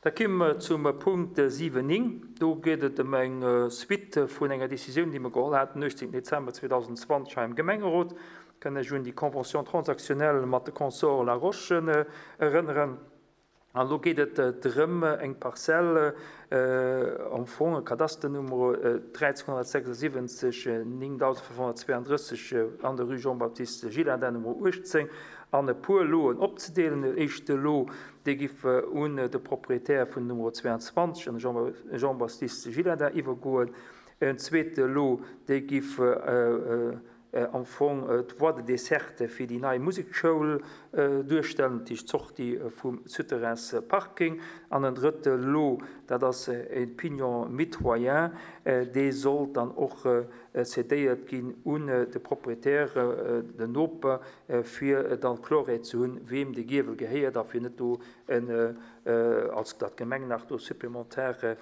Da komme mer zum Punkt 7, 9. Do geet et ëm eng Suite vun enger Décisioun, déi mer geholl haten den 18 Dezember 2020 hei am Gemengerot. Ech kann lech un déi Convention transactionnelle mat de Consorts Laroche erënneren. An elo geet et drëm, eng Parzell, am Fong e Kadasternummer 1376 9532 an der Rue Jean-Baptiste Gillardin Nummer 18, an e puer Loen opzedeelen. Den éischte Lot, dee giff un de Proprietär vun Numero 22, an de Jean-Baptiste Gillardin, iwwergoen. En zweete Lot, dee giff am Fong d'Voie de desserte fir déi nei Musekschoul duerstellen, dat heescht d'Sortie vum Souterrainsparking. An en drëtte Lot, dat ass e Pignon mitoyen, dee sollt dann och cédéiert ginn un de Proprietär, den Noper, fir dann Klorheet ze hunn, weem de Giewel gehéiert a fir net do en, als datt d'Gemeng nach do supplémentaire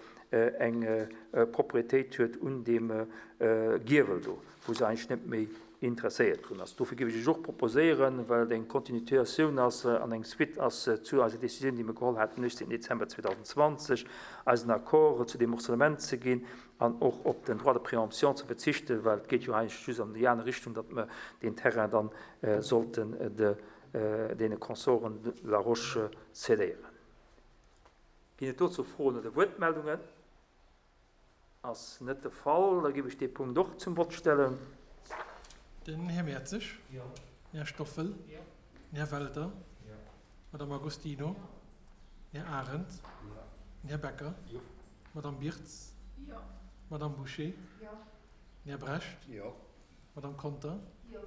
eng Propriétéit huet un deem Giewel do, wou se eigentlech net méi interesséiert drun ass. Dofir géif ech Iech och proposéieren, well et eng Continuatioun ass an eng Suite ass zu eiser Décisioun, déi mir geholl haten den 18 Dezember 2020, eisen Accord zu deem Morcellement ze ginn an och op den Droit de préemption ze verzichten, well et geet jo eigentlech just an déi aner Richtung, datt mer deen Terrain dann sollten deene Consorten Laroche cédéieren. Ginn et dozou Froen oder Wuertmeldungen? Ass net de Fall. Da géif ech dee Punkt och zum Vott stellen. Den Här Mertzig. Jo. Den Här Stoffel. Jo. Den Här Welter. Jo. D'Madame Agostino. Den Här Arendt. Jo. Den Här Becker. Jo. D'Madame Birtz. Jo. D'Madame Bouché. Jo. Den Här Brecht. Jo. D'Madame Conter. Jo.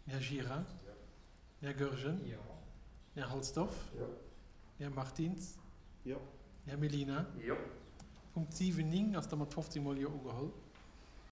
Den Här Gira. Jo. Den Här Goergen. Jo. Den Här Halsdorf. Jo. Den Här Martins. Jo. Den Här Mellina. Jo. Punkt 7, 9 ass da mat 15 mol Jo ugeholl.